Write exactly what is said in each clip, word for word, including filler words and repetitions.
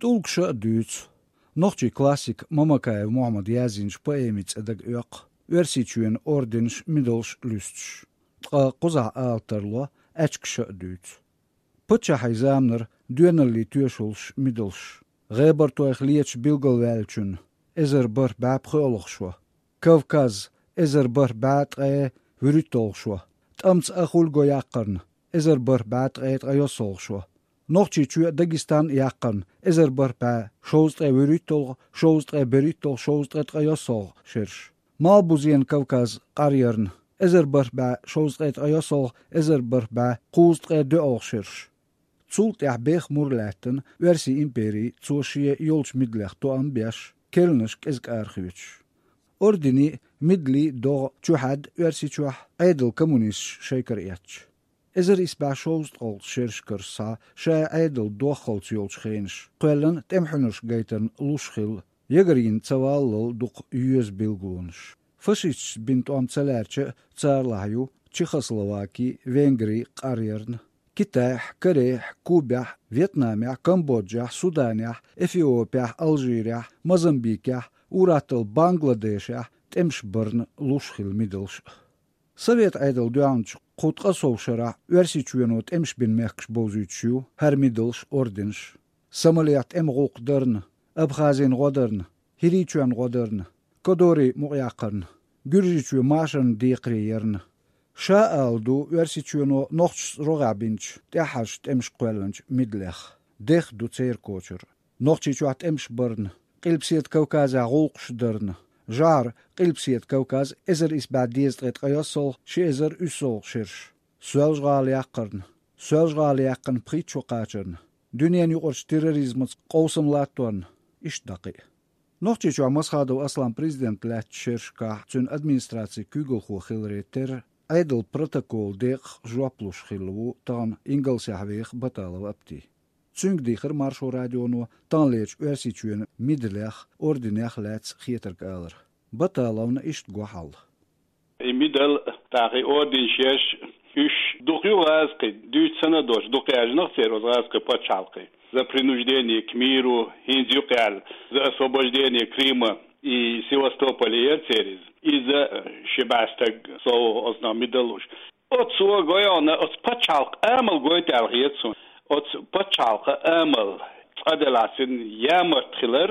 ТӀулгаша а дуьйцу. Нохчийн классика Мамакаев Мухьаммада язйинчу поэмин цӀе дага оьккху Оьрсийчоьнан орденаш, медалаш луьстуш. Ткъа кхузахь ала тарло, аьчкаша а дуьйцу. Паччахьийн заманара доьналлин тоьшаллаш, медалш. ГӀебартойх леташ билгалваьллачунна эзар бархӀ бӀаь пхоьалгӀа шо. Кавказ, эзар бархӀ бӀаь ткъе вуьрхӀитталгӀа шо. ТӀамца Ахуль-го яккхарна, эзар бархӀ бӀаь ткъе ткъайоьсналгӀа шо. Нохчийчоь а, Дагестан а яккхарна, эзар бархӀ бӀаь шовзткъе вуьрхӀитталгӀа, шовзткъе берхӀитталгӀа, шовзткъе ткъайоьсналгӀа шераш. Малхбузенан Кавказ къаръярна, эзар бархӀ бӀаь шовзткъе ткъайоьсналгӀа, эзар бархӀ бӀаь кхузткъе доьалгӀа шераш. Цул тӀаьхьа беха мур лаьттина Оьрсийн импери, цо шен йолчу медалех тоам беш, керланаш кӀезиг арахоьцуш. Орденийн а, медалийн а догӀа чухьаьдда Оьрсийчохь, Ӏедалан коммунисташа шайкара эцча. Эзар исс бӀе шовзткъалгӀачу шерашкара схьа, ша Ӏедал доххалц йолчу хенаш, кхоьллина тӀеман хьуьнарш гайтарна луш хилла, ягарйина ца валлал дукха йоьзна билгалонаш. Фашисташца бина тӀом ца лаьрча а, царлахь ю Чехословаки, Венгри къаръярна, Китайхь, Корейхь, Кубехь, Вьетнамехь, Камбоджехь, Суданехь, Эфиопехь, Алжирехь, Мозамбикехь, ур-атталла Бангладешехь тӀемаш барна луш хилла медалш а. Совет Ӏедал доьгӀначу кху ткъе сов шарахь Оьрсийчоьно тӀемаш бина мехкаш бовзуьйтуш ю хӀара медалш, орденаш. Сомалехь тӀеман гӀуллакх дарна, Абхазин гӀо дарна, ХӀирийчоьнан гӀо дарна, Кодорин мукъаяккхарна, Гуьржийчоь машарна декхаре ярна. Ша ала ду Оьрсийчоьно нохчашца рогӀехь бинчу, тӀаьххьарчу тӀемашка кхоьллинчу медалех. Деха ду церан кочар. Нохчийчохь тӀемаш барна, Къилбаседа Кавказехь гӀуллакхаш дарна, жӀара Къилбаседа Кавказ, эзар исс бӀе дезткъе ткъайоьсналгӀа, ши эзар уьссалгӀа шераш. Соьлжа-ГӀала яккхарна, Соьлжа-ГӀала яьккхина пхийтта шо кхачарна, дуьненаюкъарчу терроризмаца къовсам латторна, иштта дӀа кхин а. Нохчийчохь Масхадов Аслан президент лаьттачу шерашкахь цуьнан администрацин куьйгалхо хиларе терра, Ӏедалан протоколан декъах жоп луш хилла ву тахана Ингалсехь веха Баталов Апти. Цуьнга дийхира Маршо радионо таханлерчу Оьрсийчоьнан медалех, орденех лаьцна хетарг алар. Баталовна иштта го хьал. И медал, тӀаккха и орденаш еш, уьш дукха ю гӀазкхи, дуьйцу санна а доцуш, дукха яьржинарг церан оцу гӀазкхийн пачхьалкхе. «За принуждение к миру», хӀинца юкъа аьлла, «За освобождение Крыма и Севастополя» яра церан иза. Иза ши бӀе стаг сов оцунах медал луш. Оцо гойхьана оцу пачхьалкхан амал гойту аьлла хета суна. Оцу пачхьалкхан амал, цкъа делахь цуьнан ямарта хилар,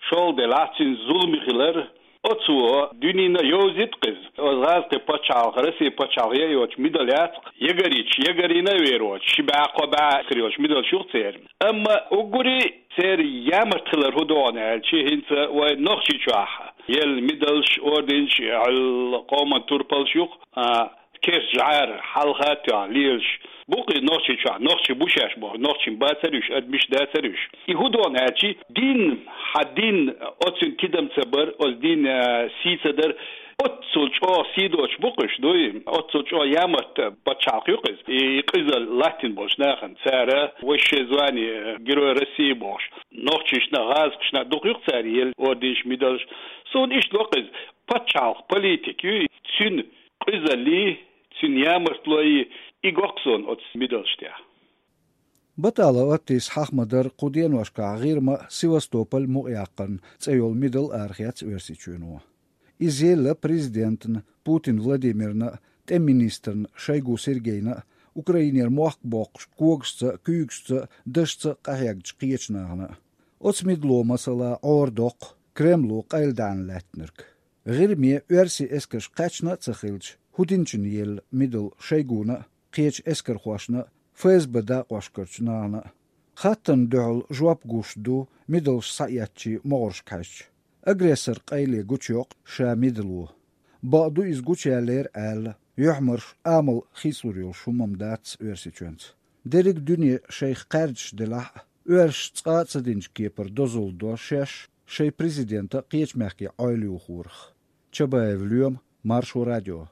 шолгӀа делахь цуьнан зуламе хилар. Оцо дуьненна йовзийта-кх иза. Оцу гӀазкхийн пачхьалкх, Россин пачхьалкх яа йоцуш медал яц-кх. Ягарйича, ягарйина а вер воцуш, ши бӀе, кхо бӀе хир йолуш медалш ю-кх церан. Амма уггаре церан ямарта хилар хӀун ду хьуна аьлча, хӀинца вайн Нохчийчохь елла медалш, орденаш, къоман турпалш ю-кх, а, керста жӀара хьалха а тоьхна лелаш. Бу-кх и Нохчийчохь, нохчий бу шаьш бохуш, нохчийн бацара уьш, адамаш дацара уьш. И хӀун ду хьуна аьлча, дин, хьан дин, оцуьнан тидам ца бар, оцу динан, а, сий ца дар, оццул чӀогӀа сий доцуш бу-кх уьш, дуй? Оццул чӀогӀа ямарта пачхьалкх ю-кх иза. И къизалла латтийна болчу нахана, цара высшее звание, Герой России бохуш, нохчашна, гӀазкхашна дукха ю-кх цара елла орденаш, медалш. Суна иштта го-кх иза, пачхьалкхан политика ю, цуьнан къизаллий, цуьнан ямартлой, и го-кх суна оцу медалш тӀехь. Баталов Аптис хьаха ма-дарра, кху деношкахь ГӀирма а, Севастополь мукъаяккхарна цӀе йолу медал арахецна Оьрсийчоьно. Иза елла президентна Путин Владимирна а, тӀеман министрна Шойгу Сергейна а, Украинера мохк боккхуш когашца а, куьйгашца а, дашца а къахьегначу кхечу нахана а. Оцу медало, масала, Ӏора доккху Кремло къайладаьхьна лаьттинарг. ГӀирме оьрсийн эскарш кхаьчна а ца хилча, хӀун динчунна елла медал Шойгуна а, кхечу эскархошна а, ФСБ дакъошкарчу нахана а? Хаттарна дуьхьал жоп гуш ду медалш схьаэцначийн могӀаршка хьаьжча. Агрессоран къайле гучуйоккху ша медало. Бакъду, иза гучуяьллера аьлла, юьхьмарш, амал хийцалур йолуш хӀума-м дац Оьрсийчоьнца. Дерриг дуьне шайх кхаьрдаш делахь а, оьрсаша цкъа а ца динчу кепара дозалла до шаьш шайн президента кхечу мехкийн Ӏойла юхорах. Чабаев Лоьма, Маршо радио.